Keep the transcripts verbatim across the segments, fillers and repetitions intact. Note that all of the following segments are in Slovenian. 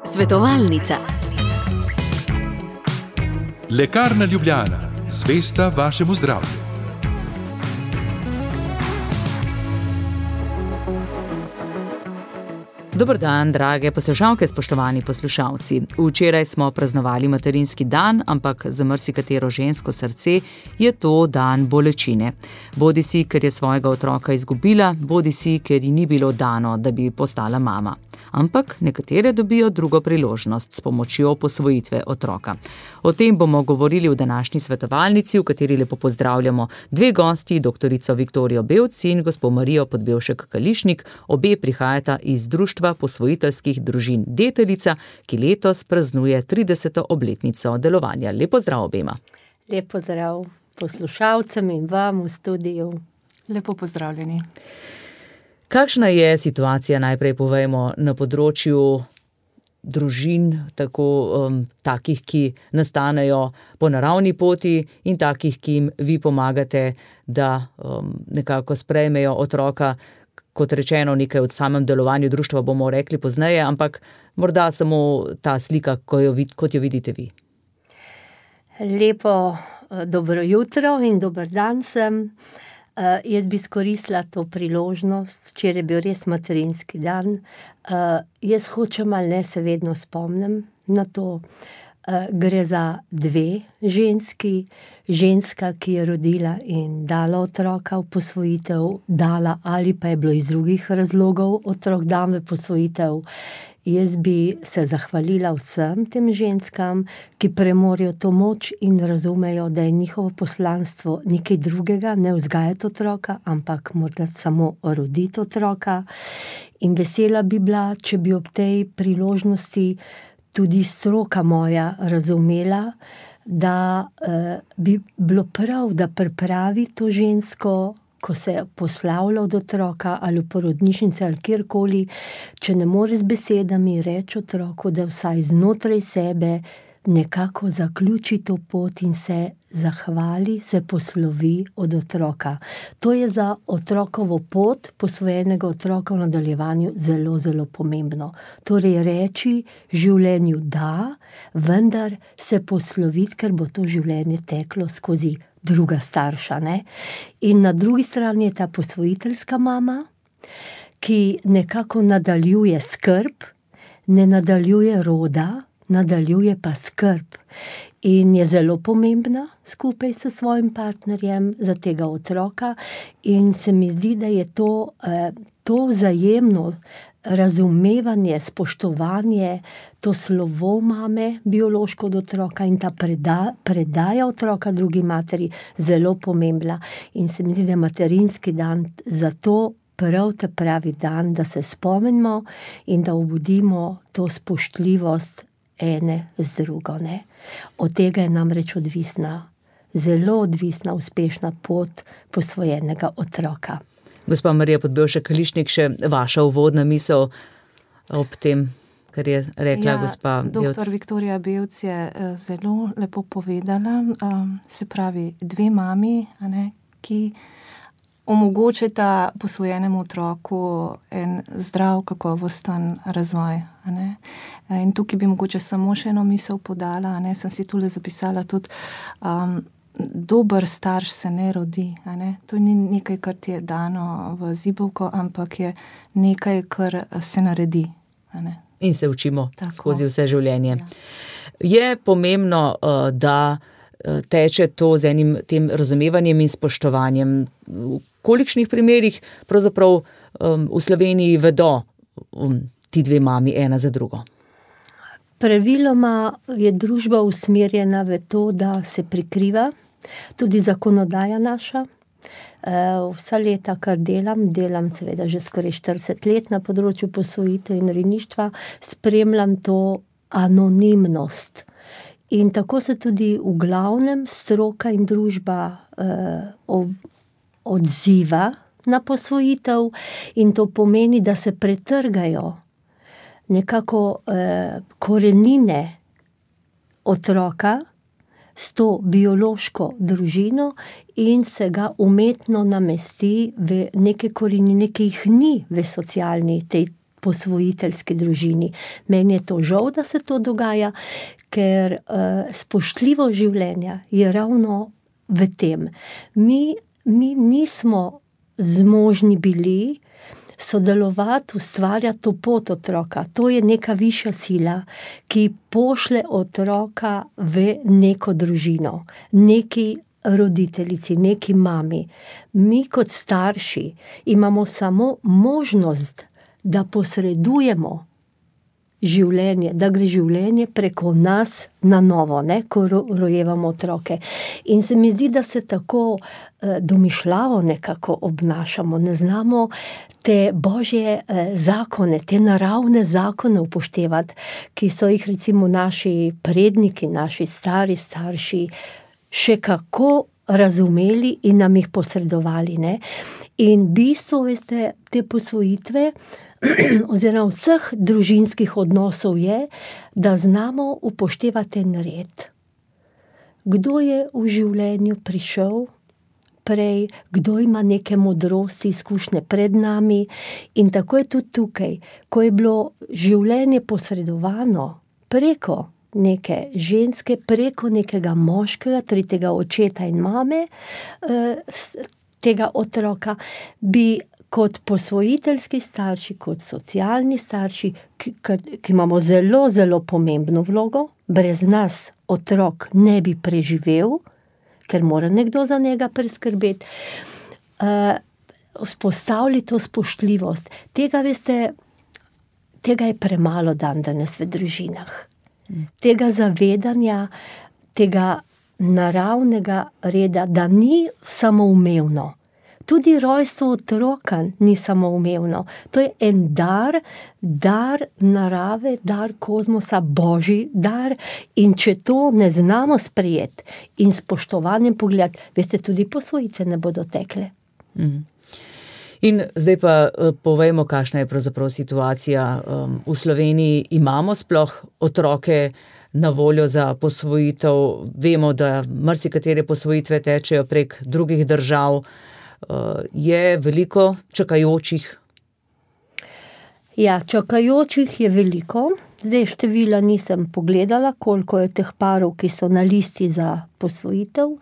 Svetovalnica. Lekarna Ljubljana, zvesta vašemu zdravju. Dober dan, drage poslušalke, spoštovani poslušalci. Včeraj smo praznovali materinski dan, ampak za marsikatero žensko srce je to dan bolečine. Bodisi, ker je svojega otroka izgubila, bodisi, ker ji ni bilo dano, da bi postala mama. Ampak nekatere dobijo drugo priložnost s pomočjo posvojitve otroka. O tem bomo govorili v današnji svetovalnici, v kateri lepo pozdravljamo dve gosti, doktorico Viktorijo Bevc in gospo Marijo Podbevšek-Kališnik. Obe prihajata iz Društva posvojiteljskih družin Deteljica, ki letos praznuje trideseto obletnico delovanja. Lep pozdrav obema. Lep pozdrav poslušalcem in vam v studiu. Lepo pozdravljeni. Kakšna je situacija, najprej povejmo, na področju družin, tako um, takih, ki nastanejo po naravni poti in takih, ki jim vi pomagate, da um, nekako sprejmejo otroka, kot rečeno, nekaj od samem delovanju društva bomo rekli pozneje, ampak morda samo ta slika, ko jo, kot jo vidite vi. Lepo dobro jutro in dober dan sem. Uh, jaz bi izkoristila to priložnost, včeraj je bil res materinski dan. Uh, jaz hočem ali ne, se vedno spomnim na to. Uh, gre za dve ženski, ženska, ki je rodila in dala otroka v posvojitev, dala ali pa je bilo iz drugih razlogov otrok dan v posvojitev. Jaz bi se zahvalila vsem tem ženskam, ki premorijo to moč in razumejo, da je njihovo poslanstvo nekaj drugega, ne vzgajati otroka, ampak morda samo roditi otroka. In vesela bi bila, če bi ob tej priložnosti tudi stroka moja razumela, da eh, bi bilo prav, da pripravi to žensko, ko se poslavlja od otroka ali v porodnišnici ali kjerkoli, če ne more z besedami reči otroku, da vsaj znotraj sebe nekako zaključi to pot in se zahvali, se poslovi od otroka. To je za otrokovo pot, posvojenega otroka v nadaljevanju, zelo, zelo pomembno. Torej reči življenju da, vendar se posloviti, ker bo to življenje teklo skozi druga starša, ne? In na drugi strani je ta posvojiteljska mama, ki nekako nadaljuje skrb, ne nadaljuje roda, nadaljuje pa skrb. In je zelo pomembna skupaj s svojim partnerjem za tega otroka in se mi zdi, da je to, eh, to vzajemno razumevanje, spoštovanje, to slovo mame biološko od otroka in ta preda, predaja otroka drugi materi zelo pomembna. In se mi zdi, da je materinski dan zato prav te pravi dan, da se spomnimo in da obudimo to spoštljivost ene z drugo. Ne? Od tega je namreč odvisna, zelo odvisna, uspešna pot posvojenega otroka. Gospa Marija Podbevšek-Kališnik, še vaša uvodna misel ob tem, kar je rekla ja, gospa Bevc. Doktor Viktorija Bevc je zelo lepo povedala, se pravi dve mami, a ne, ki omogočita posvojenemu otroku en zdrav, kakovosten razvoj. A ne. In tukaj bi mogoče samo še eno misel podala, a ne, sem si tule zapisala tudi, um, dober starš se ne rodi, a ne. To ni nekaj, kar ti je dano v zibelko, ampak je nekaj, kar se naredi. A ne. In se učimo tako skozi vse življenje. Ja. Je pomembno, da teče to z enim tem razumevanjem in spoštovanjem. V kolikšnih primerih pravzaprav um, v Sloveniji vedo um, ti dve mami ena za drugo? Praviloma je družba usmerjena v to, da se prikriva, tudi zakonodaja naša. Vsa leta, kar delam, delam seveda že skoraj štirideset let na področju posvojitev in rejništva, spremljam to anonimnost. In tako se tudi v glavnem stroka in družba eh, odziva na posvojitev in to pomeni, da se pretrgajo nekako eh, korenine otroka s to biološko družino in se ga umetno namesti v neke korenine, ki jih ni v socialni tej posvojiteljski družini. Meni je to žal, da se to dogaja, ker uh, spoštljivo življenje je ravno v tem. Mi, mi nismo zmožni bili sodelovati, ustvarjati to pot otroka. To je neka višja sila, ki pošle otroka v neko družino, neki roditeljici, neki mami. Mi kot starši imamo samo možnost, da posredujemo življenje, da gre življenje preko nas na novo, ne, ko rojevamo otroke. In se mi zdi, da se tako eh, domišljavo nekako obnašamo, ne znamo te božje eh, zakone, te naravne zakone upoštevati, ki so jih recimo naši predniki, naši stari starši še kako razumeli in nam jih posredovali, ne. In bistvo, veste, te posvojitve oziroma vseh družinskih odnosov je, da znamo upoštevati en red. Kdo je v življenju prišel prej, kdo ima neke modrosti, izkušnje pred nami, in tako je tudi tukaj, ko je bilo življenje posredovano preko neke ženske, preko nekega moškega, torej tega očeta in mame, tega otroka, bi kot posvojiteljski starši, kot socialni starši, ki, ki imamo zelo, zelo pomembno vlogo, brez nas otrok ne bi preživel, ker mora nekdo za njega preskrbeti, uh, vzpostavili to spoštljivost. Tega, veste, tega je premalo dan danes v družinah. Tega zavedanja, tega naravnega reda, da ni samoumevno. Tudi rojstvo otroka ni samoumevno. To je en dar, dar narave, dar kozmosa, božji dar, in če to ne znamo sprejeti in spoštovanjem pogledati, veste, tudi posvojice ne bodo tekle. Mm. In zdaj pa povejmo, kakšna je pravzaprav situacija v Sloveniji. Imamo sploh otroke na voljo za posvojitev? Vemo, da marsikatere posvojitve tečejo prek drugih držav. Je veliko čakajočih? Ja, čakajočih je veliko. Zdaj števila nisem pogledala, koliko je teh parov, ki so na listi za posvojitev.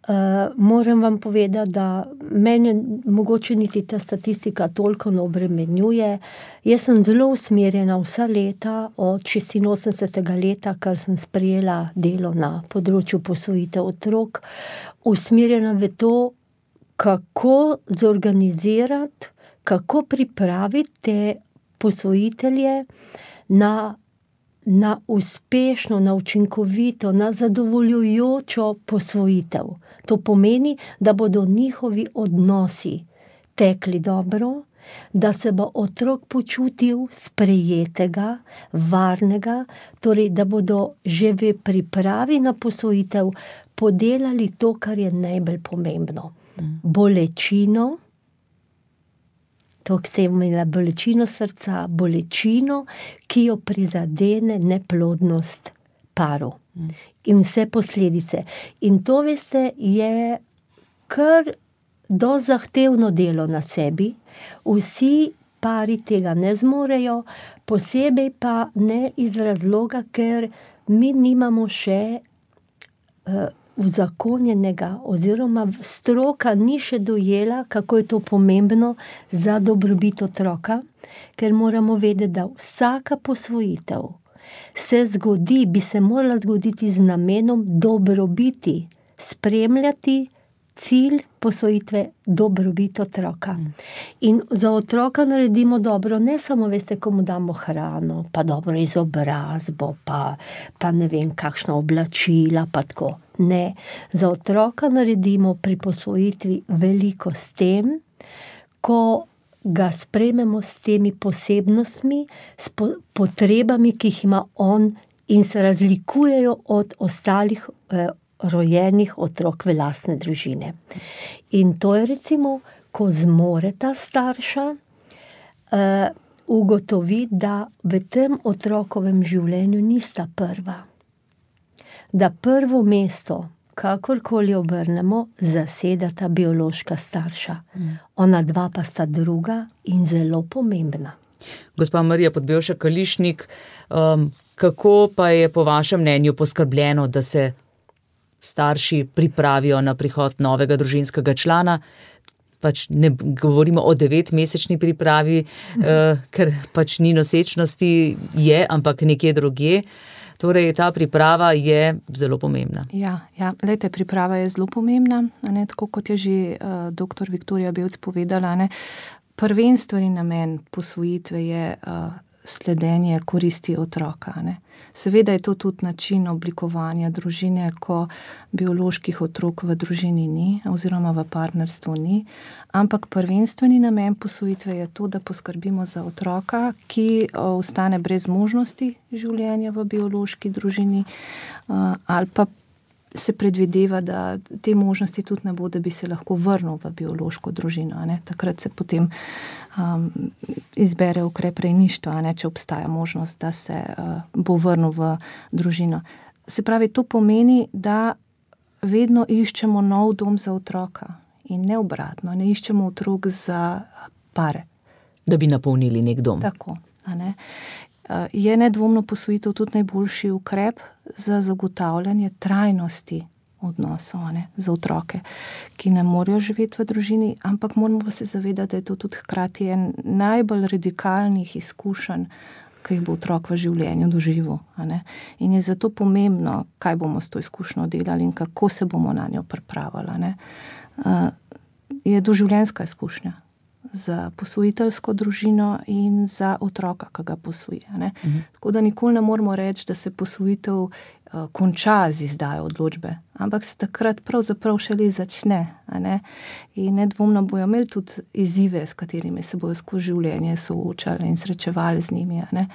Uh, moram vam povedati, da mene mogoče niti ta statistika toliko ne obremenjuje. Jaz sem zelo usmerjena vsa leta, od šestinosemdesetega leta, kar sem sprejela delo na področju posvojitev otrok, usmerjena v to, kako zorganizirati, kako pripraviti te posvojitelje na na uspešno, na učinkovito, na zadovoljujočo posvojitev. To pomeni, da bodo njihovi odnosi tekli dobro, da se bo otrok počutil sprejetega, varnega, torej da bodo že v pripravi na posvojitev podelali to, kar je najbolj pomembno. Bolečino, to, ki se je imela bolečino srca, bolečino, ki jo prizadene neplodnost paru. Mm. In vse posledice. In to, veste, je kar dosti zahtevno delo na sebi. Vsi pari tega ne zmorejo, posebej pa ne iz razloga, ker mi nimamo še uh, uzakonjenega, oziroma stroka ni še dojela, kako je to pomembno za dobrobit otroka, ker moramo vedeti, da vsaka posvojitev se zgodi, bi se morala zgoditi z namenom dobrobiti, spremljati cilj posvojitve, dobrobit otroka. In za otroka naredimo dobro, ne samo, veste, ko mu damo hrano, pa dobro izobrazbo, pa, pa ne vem, kakšna oblačila, pa tako. Ne, za otroka naredimo pri posvojitvi veliko s tem, ko ga sprejmemo s temi posebnostmi, s po, potrebami, ki jih ima on in se razlikujejo od ostalih eh, rojenih otrok v lastne družine. In to je recimo, ko zmore ta starša uh, ugotoviti, da v tem otrokovem življenju nista prva. Da prvo mesto, kakorkoli obrnemo, zasedata biološka starša. Mm. Ona dva pa sta druga in zelo pomembna. Gospa Marija Podbevšek-Kališnik, um, kako pa je po vašem mnenju poskrbljeno, da se starši pripravijo na prihod novega družinskega člana? Pač ne govorimo o devetmesečni pripravi, uh, ker pač ni nosečnosti, je, ampak nekje drugje. Torej, ta priprava je zelo pomembna. Ja, ja. Lejte, priprava je zelo pomembna, ne, tako kot je že uh, doktor Viktorija Belc povedala, ne. Prvenstveni namen posvojitve je uh, sledenje koristi otroka, ne. Seveda je to tudi način oblikovanja družine, ko bioloških otrok v družini ni oziroma v partnerstvu ni, ampak prvenstveni namen posvojitve je to, da poskrbimo za otroka, ki ostane brez možnosti življenja v biološki družini, ali pa se predvideva, da te možnosti tudi ne bo, da bi se lahko vrnil v biološko družino, ne. Takrat se potem um, izbere ukrep rejništva, ne, če obstaja možnost, da se uh, bo vrnil v družino. Se pravi, to pomeni, da vedno iščemo nov dom za otroka in ne obratno, ne iščemo otrok za pare. Da bi napolnili nek dom. Tako, a ne. Je nedvomno posvojitev tudi najboljši ukrep za zagotavljanje trajnosti odnosov, ne, za otroke, ki ne morejo živeti v družini, ampak moramo pa se zavedati, da je to tudi hkrati en najbolj radikalnih izkušenj, ki jih bo otrok v življenju doživel, a ne. In je zato pomembno, kaj bomo s to izkušnjo delali in kako se bomo na njo pripravili, ne. Uh, je doživljenjska izkušnja za posvojiteljsko družino in za otroka, ki ga posvoji, ne. Mhm. Tako da nikoli ne moramo reči, da se posvojitev uh, konča z izdajo odločbe, ampak se takrat pravzaprav šele začne, a ne. In nedvomno bojo imeli tudi izzive, s katerimi se bojo skozi življenje soočali in srečevali z njimi, a ne.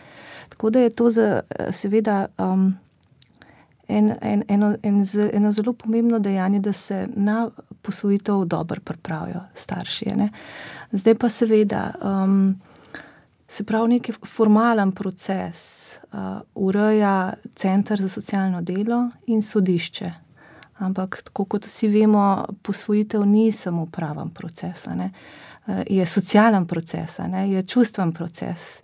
Tako da je to za, seveda um, En, en, eno, en, eno zelo pomembno dejanje, da se na posvojitev dobro pripravijo starši, ne. Zdaj pa seveda, um, se pravi neki formalen proces uh, ureja Center za socialno delo in sodišče. Ampak tako kot vsi vemo, posvojitev ni samo praven proces, ne. Uh, je socialen proces, ne, je čustven proces.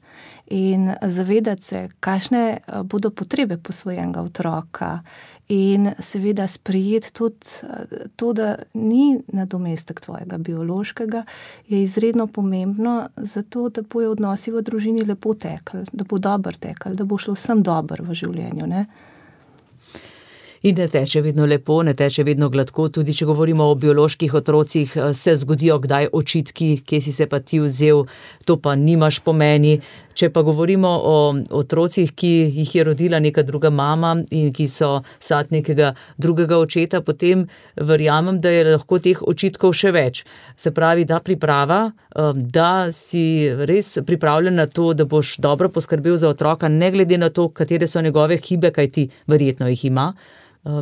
In zavedati se, kakšne bodo potrebe posvojenega otroka in seveda sprejeti tudi to, da ni nadomestek tvojega biološkega, je izredno pomembno zato, da bojo odnosi v družini lepo tekli, da bo dobro tekli, da bo šlo vsem dobro v življenju, ne. In ne teče vedno lepo, ne teče vedno gladko, tudi če govorimo o bioloških otrocih, se zgodijo kdaj očitki, kje si se pa ti vzel, to pa nimaš pomeni. Če pa govorimo o otrocih, ki jih je rodila neka druga mama in ki so sad nekega drugega očeta, potem verjamem, da je lahko teh očitkov še več. Se pravi, da priprava, da si res pripravljen na to, da boš dobro poskrbel za otroka, ne glede na to, katere so njegove hibe, kaj ti verjetno jih ima,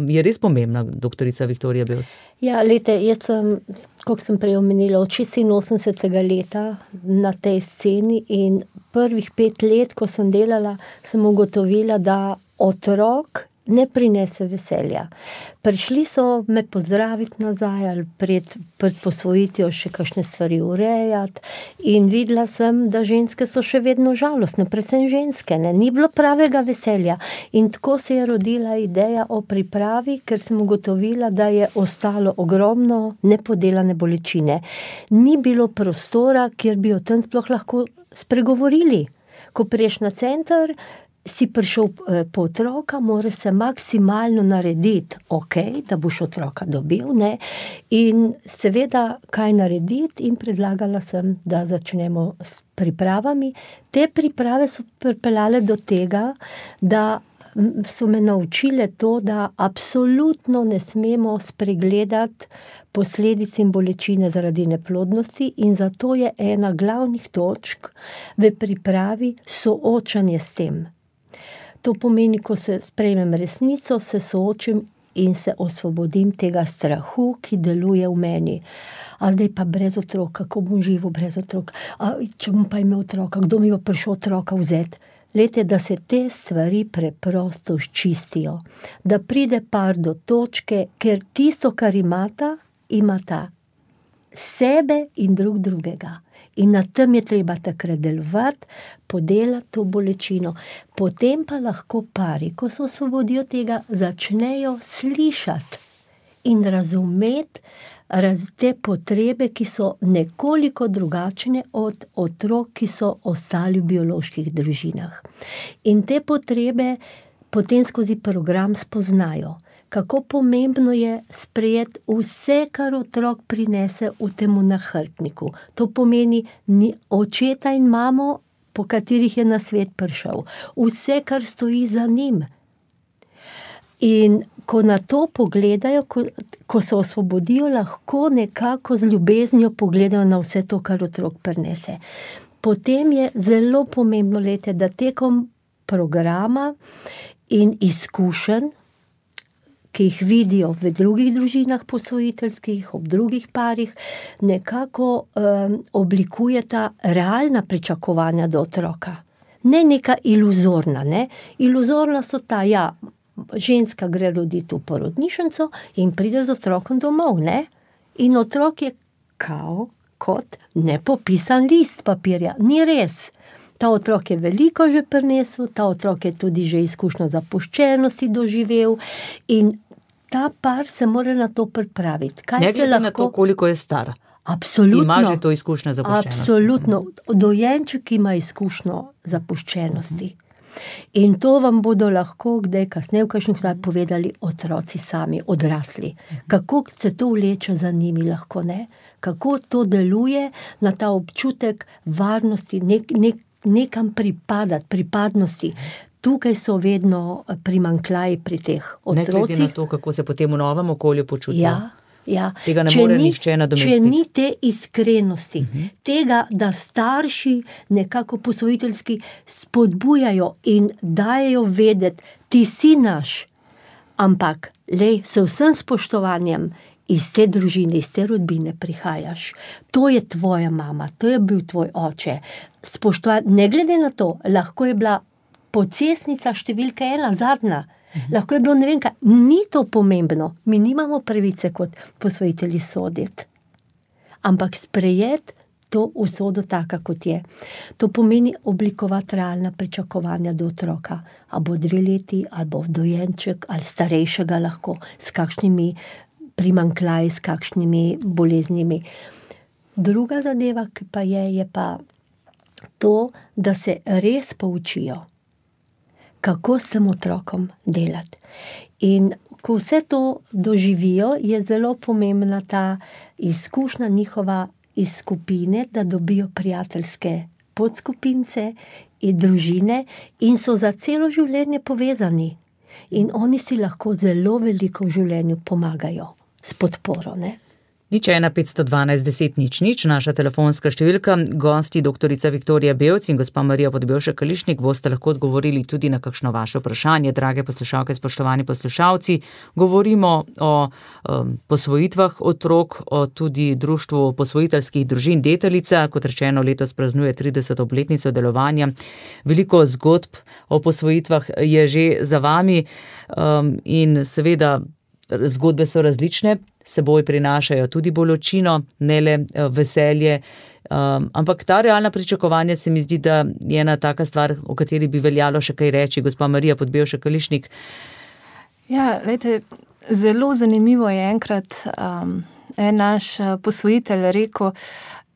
je res pomembna, doktorica Viktorija Belc. Ja, lejte, jaz sem, kot sem prej omenila, od šestinosemdesetega leta na tej sceni in prvih pet let, ko sem delala, sem ugotovila, da otrok ne prinese veselja. Prišli so me pozdraviti nazaj ali pred, pred posvojitvijo še kakšne stvari urejati in videla sem, da ženske so še vedno žalostne, predvsem ženske, ne, ni bilo pravega veselja. In tako se je rodila ideja o pripravi, ker sem ugotovila, da je ostalo ogromno nepodelane bolečine. Ni bilo prostora, kjer bi o tem sploh lahko spregovorili. Ko priješ na center, si prišel po otroka, mora se maksimalno narediti, ok, da boš otroka dobil, ne, in seveda, kaj narediti, in predlagala sem, da začnemo s pripravami. Te priprave so pripeljale do tega, da so me naučile to, da absolutno ne smemo spregledati posledic in bolečine zaradi neplodnosti in zato je ena glavnih točk v pripravi soočanje s tem. To pomeni, ko se sprejmem resnico, se soočim in se osvobodim tega strahu, ki deluje v meni. A zdaj pa brez otroka, kako bom živel brez otroka? A če bom pa imel otroka, kdo mi bo prišel otroka vzeti? Lejte, da se te stvari preprosto izčistijo. Da pride par do točke, ker tisto, kar imata, imata sebe in drug drugega. In na tem je treba takrat delovati, podelati to bolečino. Potem pa lahko pari, ko se osvobodijo tega, začnejo slišati in razumeti raz, te potrebe, ki so nekoliko drugačne od otrok, ki so ostali v bioloških družinah. In te potrebe potem skozi program spoznajo, kako pomembno je sprejeti vse, kar otrok prinese v temu nahrbtniku. To pomeni ni očeta in mamo, po katerih je na svet prišel. Vse, kar stoji za njim. In ko na to pogledajo, ko, ko se osvobodijo, lahko nekako z ljubeznijo pogledajo na vse to, kar otrok prinese. Potem je zelo pomembno, lete, da tekom programa in izkušenj, ki jih vidijo v drugih družinah posvojiteljskih, ob drugih parih, nekako um, oblikujeta realna pričakovanja do otroka. Ne neka iluzorna, ne? Iluzorna so ta, ja, ženska gre roditi v porodnišnico in pride z otrokom domov, ne? In otrok je kao kot nepopisan list papirja. Ni res. Ta otrok je veliko že prinesel, ta otrok je tudi že izkušnjo zapuščenosti doživel in ta par se mora na to pripraviti. Kaj ne glede lahko... na to, koliko je star. Absolutno. Ima že to izkušnjo zapuščenosti. Absolutno. Dojenček ima izkušnjo zapuščenosti. In to vam bodo lahko kdaj kasneje v kakšnih kdaj povedali otroci sami, odrasli. Kako se to vleče za njimi lahko, ne? Kako to deluje na ta občutek varnosti, nek, nek, nekam pripadati, pripadnosti. Tukaj so vedno primanjkljaji pri teh otrocih. Ne glede na to, kako se potem v novem okolju počutijo. Ja, ja. Tega ne če more ni, nihče nadomestiti. Če ni te iskrenosti, uh-huh. tega, da starši nekako posvojiteljski spodbujajo in dajejo vedeti, ti si naš, ampak lej, s vsem spoštovanjem iz te družine, iz te rodbine prihajaš. To je tvoja mama, to je bil tvoj oče. Spoštovanje, ne glede na to, lahko je bila pocestnica številka ena, zadnja. Mhm. Lahko je bilo ne vem kaj. Ni to pomembno. Mi nimamo pravice kot posvojitelji soditi. Ampak sprejeti to usodo taka, kot je. To pomeni oblikovati realna pričakovanja do otroka. A bo dve leti, ali bo dojenček, ali starejšega lahko, s kakšnimi primanjkljaji, s kakšnimi boleznimi. Druga zadeva, ki pa je, je pa to, da se res poučijo, kako s tem otrokom delati. In ko vse to doživijo, je zelo pomembna ta izkušnja njihova iz skupine, da dobijo prijateljske podskupince in družine in so za celo življenje povezani. In oni si lahko zelo veliko v življenju pomagajo s podporo, ne? Nič ena petsto dvanajst deset nič nič, naša telefonska številka, gosti doktorica Viktorija Bevc in gospa Marija Podbevšek Kališnik boste lahko odgovorili tudi na kakšno vaše vprašanje, drage poslušalke, spoštovani poslušalci. Govorimo o um, posvojitvah otrok, o tudi društvu posvojiteljskih družin Deteljica, kot rečeno, letos praznuje trideseto obletnico delovanja. Veliko zgodb o posvojitvah je že za vami um, in seveda zgodbe so različne, seboj prinašajo tudi bolečino, ne le veselje, um, ampak ta realna pričakovanja se mi zdi, da je ena taka stvar, o kateri bi veljalo še kaj reči. Gospa Marija Podbevšek Kališnik. Ja, lejte, zelo zanimivo je enkrat um, en naš posvojitelj rekel,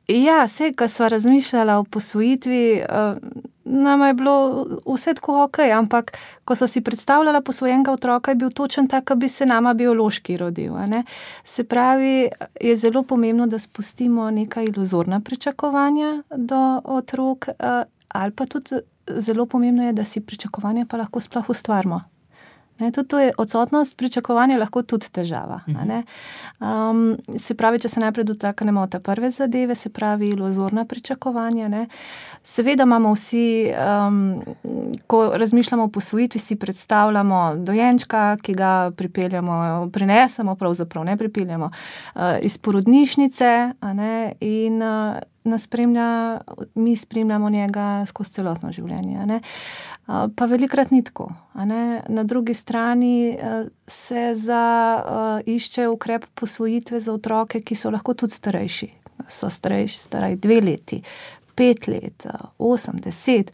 ja, vse, ko sva razmišljala o posvojitvi, uh, nama je bilo vse tako ok, ampak ko so si predstavljala posvojenega otroka, je bil točen tak, da bi se nama biološki rodil. Ne? Se pravi, je zelo pomembno, da spustimo neka iluzorna pričakovanja do otrok, uh, ali pa tudi zelo pomembno je, da si pričakovanja pa lahko sploh ustvarimo. Ne, tudi to je odsotnost pričakovanja lahko tudi težava. Ne? Um, se pravi, če se najprej dotaknemo te prve zadeve, se pravi iluzorna pričakovanja. Ne? Seveda imamo vsi, um, ko razmišljamo o posvojitvi, si predstavljamo dojenčka, ki ga pripeljamo, prinesemo, pravzaprav ne pripeljamo, uh, iz porodnišnice, a ne? In uh, nas spremlja, mi spremljamo njega skozi celotno življenje. A ne? Pa velikrat ni tako. A ne? Na drugi strani se za, uh, išče ukrep posvojitve za otroke, ki so lahko tudi starejši. so starejši, staraj dve leti, pet let, osem, deset,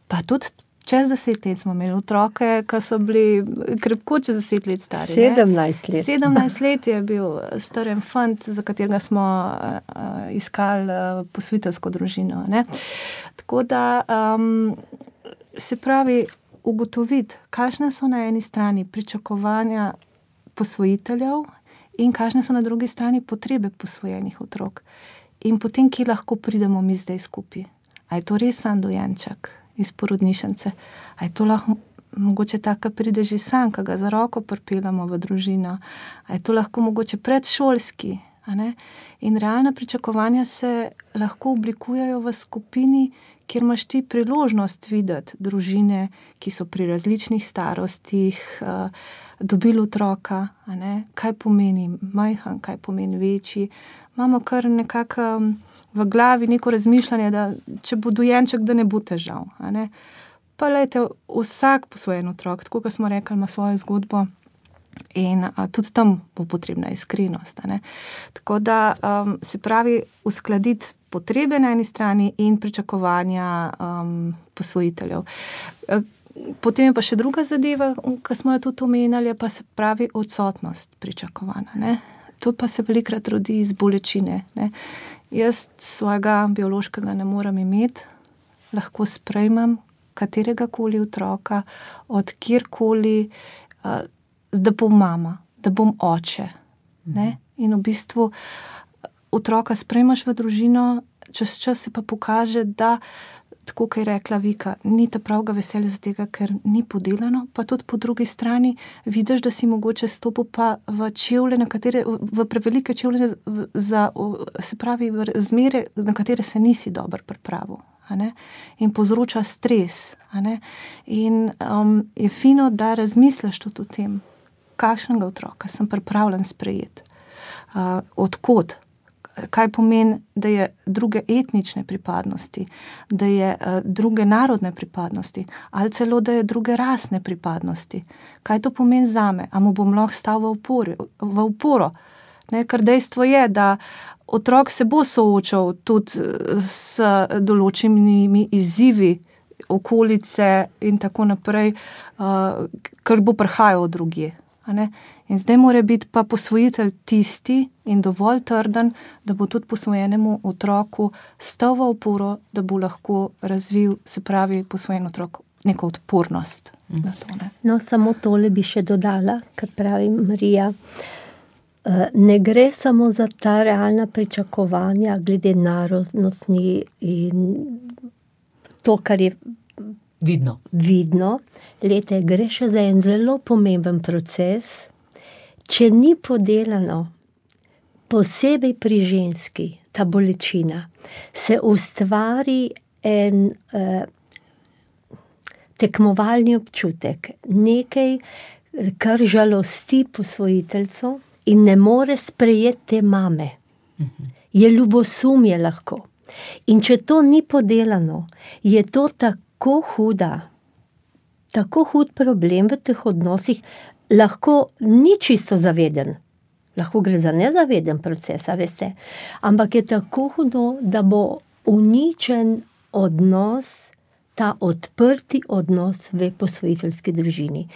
pa tudi čez deset let smo imeli otroke, ki so bili krepko čez deset let stari. sedemnajst let. sedemnajst let je bil staren fant, za katerega smo uh, iskali uh, posvojiteljsko družino. Ne? Tako da um, se pravi ugotoviti, kakšne so na eni strani pričakovanja posvojiteljev in kakšne so na drugi strani potrebe posvojenih otrok. In potem, kje lahko pridemo mi zdaj skupaj. A je to res sam dojenček iz porodnišnice? A je to lahko mogoče tako, pride že sam, ki ga za roko pripeljamo v družino? A je to lahko mogoče predšolski? A ne? In realna pričakovanja se lahko oblikujejo v skupini, kjer imaš ti priložnost videti družine, ki so pri različnih starostih, uh, dobili otroka, a ne? Kaj pomeni majhen, kaj pomeni večji. Imamo kar nekako um, v glavi neko razmišljanje, da če bo dojenček, da ne bo težav. A ne? Pa lejte, vsak posvojen otrok, tako kot smo rekli, ima svojo zgodbo in a, tudi tam bo potrebna iskrenost. A ne? Tako da um, se pravi uskladiti potrebe na eni strani in pričakovanja um, posvojiteljev. Potem je pa še druga zadeva, ki smo jo tudi omenjali, pa se pravi odsotnost pričakovanja. Ne? To pa se velikrat rodi iz bolečine. Ne? Jaz svojega biološkega ne morem imeti, lahko sprejmem katerega koli otroka, od kjerkoli, uh, da bom mama, da bom oče. Ne? In v bistvu otroka sprejmaš v družino, čez čas se pa pokaže, da tako, kot je rekla Vika, ni ta pravga veselja za tega, ker ni podelano, pa tudi po drugi strani vidiš, da si mogoče stopil pa v čevlje, na katere, v prevelike čevlje, za, se pravi, v razmere, na katere se nisi dobro pripravil. A ne? In povzroča stres. A ne? In um, je fino, da razmisliš tudi o tem, kakšnega otroka sem pripravljen sprejeti, uh, odkot, kaj pomeni, da je druge etnične pripadnosti, da je uh, druge narodne pripadnosti, ali celo, da je druge rasne pripadnosti. Kaj to pomeni zame? A mu bom lahko stal v uporo? V uporo? Ne, ker dejstvo je, da otrok se bo soočal tudi s določenimi izzivi okolice in tako naprej, uh, ker bo prihajal od drugje. A ne? In zdaj mora biti pa posvojitelj tisti in dovolj trden, da bo tudi posvojenemu otroku stal v oporo, da bo lahko razvil, se pravi, posvojen otrok neko odpornost. Mm. Na to, ne? No, samo tole bi še dodala, kar pravi Marija. Ne gre samo za ta realna pričakovanja glede narodnosti in to, kar je vidno. vidno. Lete, gre še za en zelo pomemben proces. Če ni podelano, posebej pri ženski, ta bolečina, se ustvari en eh, tekmovalni občutek, nekaj, kar žalosti posvojiteljco in ne more sprejeti te mame. Je ljubosumje lahko. In če to ni podelano, je to tako huda, tako hud problem v teh odnosih, lahko ni čisto zaveden. Lahko gre za nezaveden proces, veste. Ampak je tako hudo, da bo uničen odnos, ta odprti odnos v posvojiteljski družini.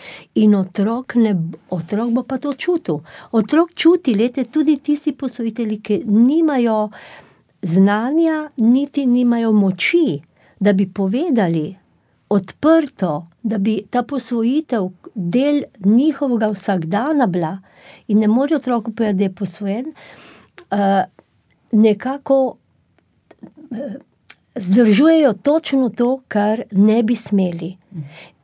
In otrok, ne, otrok bo pa to čutil. Otrok čuti, lete, tudi tisti posvojitelji, ki nimajo znanja, niti nimajo moči, da bi povedali odprto, da bi ta posvojitev del njihovega vsakdana bila in ne more otroku povedati, da je posvojen, uh, nekako uh, zdržujejo točno to, kar ne bi smeli.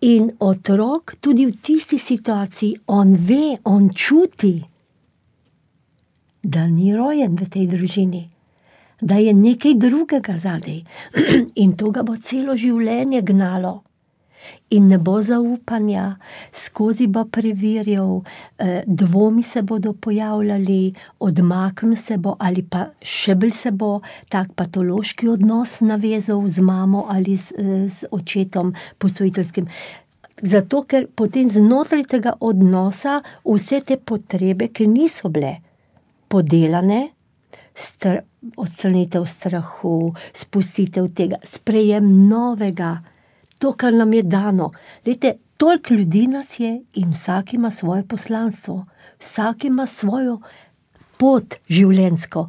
In otrok tudi v tisti situaciji, on ve, on čuti, da ni rojen v tej družini, da je nekaj drugega zadej. In to ga bo celo življenje gnalo. In ne bo zaupanja, skozi bo preverjal, dvomi se bodo pojavljali, odmaknil se bo ali pa še bolj se bo tak patološki odnos navezal z mamo ali z, z očetom posvojiteljskim. Zato, ker potem znotraj tega odnosa vse te potrebe, ki niso bile podelane, str- odstranitev strahu, spustitev tega, sprejem novega, to, kar nam je dano. Lejte, toliko ljudi nas je in vsak ima svoje poslanstvo, vsak ima svojo pot življenjsko.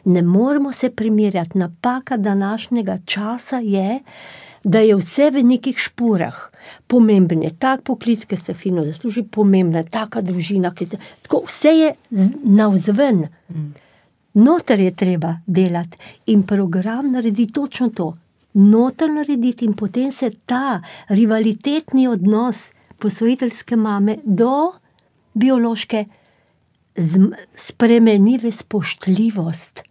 Ne moramo se primerjati. Napaka današnjega časa je, da je vse v nekih špurah. Pomemben je tak poklic, ki se fino zasluži, pomembna je taka družina, ki se, tako vse je navzven. Mm. Noter je treba delati in program naredi točno to. Noter narediti in potem se ta rivalitetni odnos posvojiteljske mame do biološke spremeni v spoštljivost.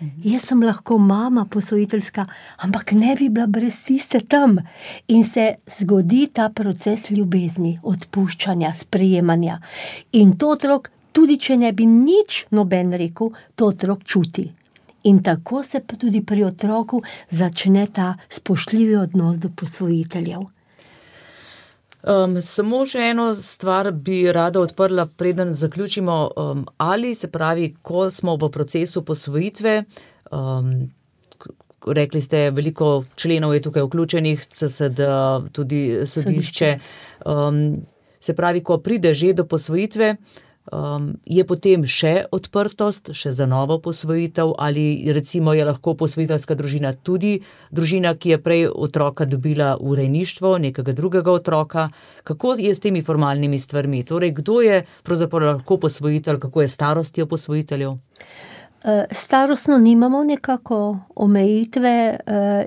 Mhm. Jaz sem lahko mama posvojiteljska, ampak ne bi bila brez tiste tam. In se zgodi ta proces ljubezni, odpuščanja, sprejemanja. In to otrok, tudi če ne bi nič noben rekel, to otrok čuti. In tako se pa tudi pri otroku začne ta spoštljivi odnos do posvojiteljev. Um, samo še eno stvar bi rada odprla, preden zaključimo. Um, ali se pravi, ko smo v procesu posvojitve, um, rekli ste, veliko členov je tukaj vključenih, C S D, tudi sodišče, um, se pravi, ko pride že do posvojitve, Um, je potem še odprtost, še za novo posvojitev, ali recimo je lahko posvojiteljska družina tudi družina, ki je prej otroka dobila v rejništvo, nekega drugega otroka. Kako je s temi formalnimi stvarmi? Torej, kdo je pravzaprav lahko posvojitelj, kako je starostjo posvojiteljev? Starostno nimamo nekako omejitve,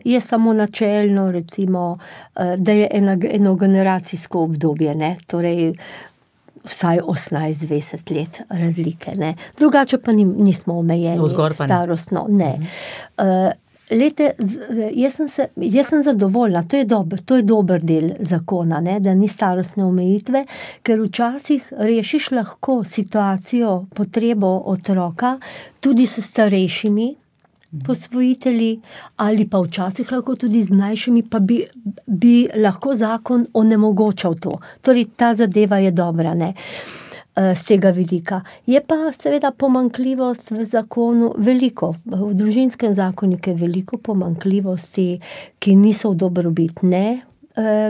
je samo načelno, recimo, da je enogeneracijsko obdobje, ne? Torej, vsaj osemnajst dvajset let razlike, ne. Drugače pa nismo omejeni starostno, ne. Uh, lete, jaz sem, se, jaz sem zadovoljna, to je dober, to je dober del zakona, ne, da ni starostne omejitve, ker včasih rešiš lahko situacijo, potrebo otroka, tudi s starejšimi posvojitelji, ali pa včasih lahko tudi z mlajšimi, pa bi, bi lahko zakon onemogočal to. Torej, ta zadeva je dobra, ne, z tega vidika. Je pa seveda pomanjkljivost v zakonu veliko. V družinskem zakoniku je veliko pomanjkljivosti, ki niso v dobrobit ne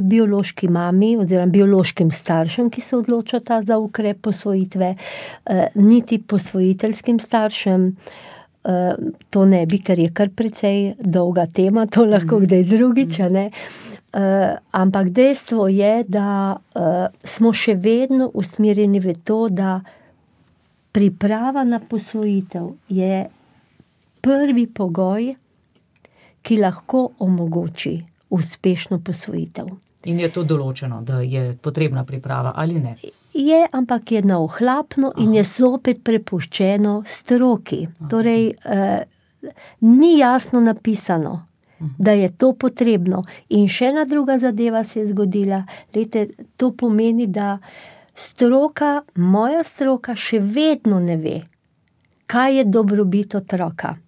biološki mami oziroma biološkim staršem, ki se odločata za ukrep posvojitve, niti posvojiteljskim staršem. Uh, to ne bi, ker je kar precej dolga tema, to lahko kdaj drugič, ne. Uh, ampak dejstvo je, da uh, smo še vedno usmerjeni v to, da priprava na posvojitev je prvi pogoj, ki lahko omogoči uspešno posvojitev. In je to določeno, da je potrebna priprava ali ne? Je, ampak je na ohlapno in je zopet prepuščeno stroki. Torej, eh, ni jasno napisano, da je to potrebno. In še ena druga zadeva se je zgodila. Lejte, to pomeni, da stroka, moja stroka še vedno ne ve, kaj je dobrobit otroka.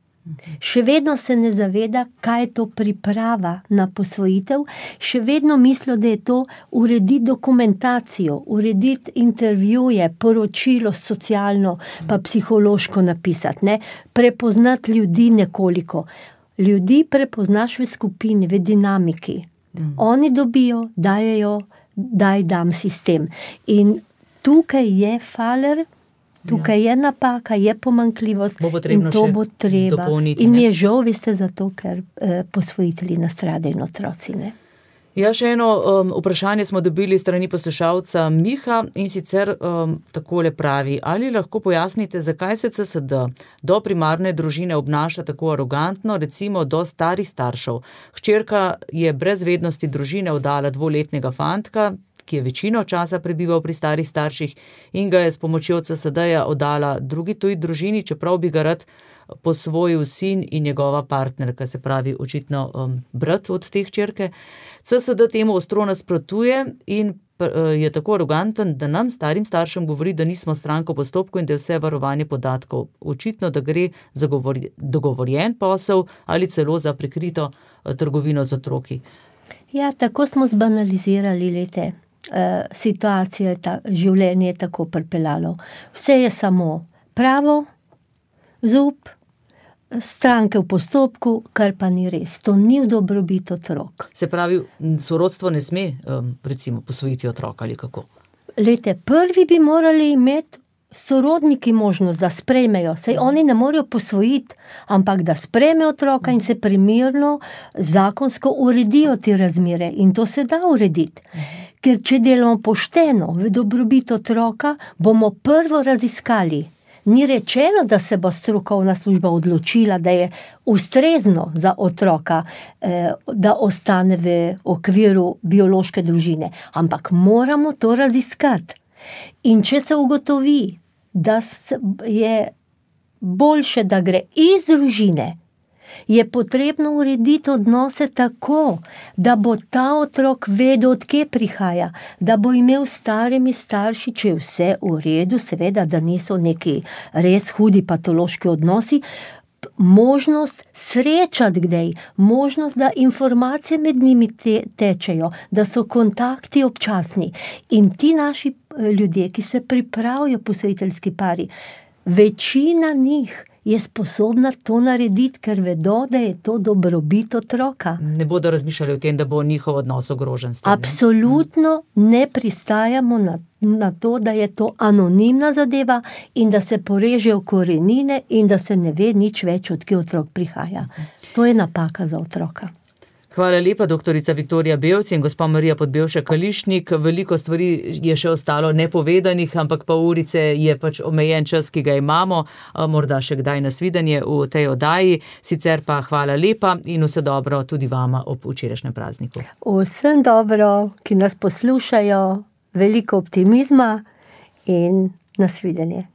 Še vedno se ne zaveda, kaj je to priprava na posvojitev, še vedno mislijo, da je to urediti dokumentacijo, urediti intervjuje, poročilo socialno, pa psihološko napisati, ne? Prepoznati ljudi nekoliko. Ljudi prepoznaš v skupini, v dinamiki. Mm. Oni dobijo, dajejo, daj dam sistem. In tukaj je faler, tukaj ja. je napaka, je pomanjkljivost in to bo treba. Dopolniti, in mi je žal, veste, zato, ker eh, posvojitelji nastradajo in otroci, ne. Ja, še eno um, vprašanje smo dobili strani poslušalca Miha in sicer um, takole pravi, ali lahko pojasnite, zakaj se C S D do primarne družine obnaša tako arogantno, recimo do starih staršev. Hčerka je brez vednosti družine oddala dvoletnega fantka, ki je večino časa prebival pri starih starših in ga je s pomočjo C S D-ja oddala drugi tuji družini, čeprav bi ga rad posvojil sin in njegova partnerka, se pravi očitno um, brat od te hčerke. C S D temu ostro nasprotuje in uh, je tako aroganten, da nam, starim staršem, govori, da nismo stranka v postopku in da je vse varovanje podatkov. Očitno, da gre za govor, dogovorjen posel ali celo za prikrito uh, trgovino z otroki. Ja, tako smo zbanalizirali, lete. Uh, situacija, ta, življenje je tako pripeljalo. Vse je samo pravo, zup, stranke v postopku, kar pa ni res. To ni v dobrobit otrok. Se pravi, sorodstvo ne sme, um, recimo, posvojiti otroka ali kako? Lete, prvi bi morali imeti sorodniki možnost, da sprejmejo. Sej oni ne morejo posvojiti, ampak da sprejmejo otroka in se primerno zakonsko uredijo te razmere. In to se da urediti. Ker če delamo pošteno v dobrobit otroka, bomo prvo raziskali. Ni rečeno, da se bo strokovna služba odločila, da je ustrezno za otroka, eh, da ostane v okviru biološke družine. Ampak moramo to raziskati. In če se ugotovi, da je boljše, da gre iz družine, je potrebno urediti odnose tako, da bo ta otrok vedel, od kje prihaja, da bo imel starimi starši, če je vse v redu, seveda, da niso neki res hudi patološki odnosi, možnost srečati kdaj, možnost, da informacije med njimi te, tečejo, da so kontakti občasni. In ti naši ljudje, ki se pripravijo posvojiteljski pari, večina njih je sposobna to narediti, ker vedo, da je to dobrobit otroka. Ne bodo razmišljali o tem, da bo njihov odnos ogrožen s tem. Absolutno ne pristajamo na, na to, da je to anonimna zadeva in da se porežejo korenine in da se ne ve nič več, od kje otrok prihaja. To je napaka za otroka. Hvala lepa, doktorica Viktorija Bevc in gospa Marija Podbevšek-Kališnik. Veliko stvari je še ostalo nepovedanih, ampak pol urice je pač omejen čas, ki ga imamo. Morda še kdaj nasvidenje v tej oddaji. Sicer pa hvala lepa in vse dobro tudi vama ob včerajšnjem prazniku. Vsem dobro, ki nas poslušajo, veliko optimizma in nasvidenje.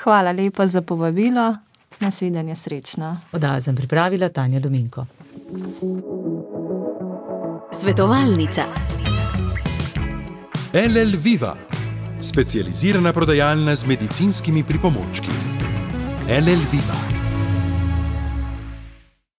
Hvala lepa za povabilo. Nasvidenje, srečno. Oddajo sem pripravila Tanja Dominko. Svetovalnica. L L Viva, specializirana prodajalna z medicinskimi pripomočki. L L Viva.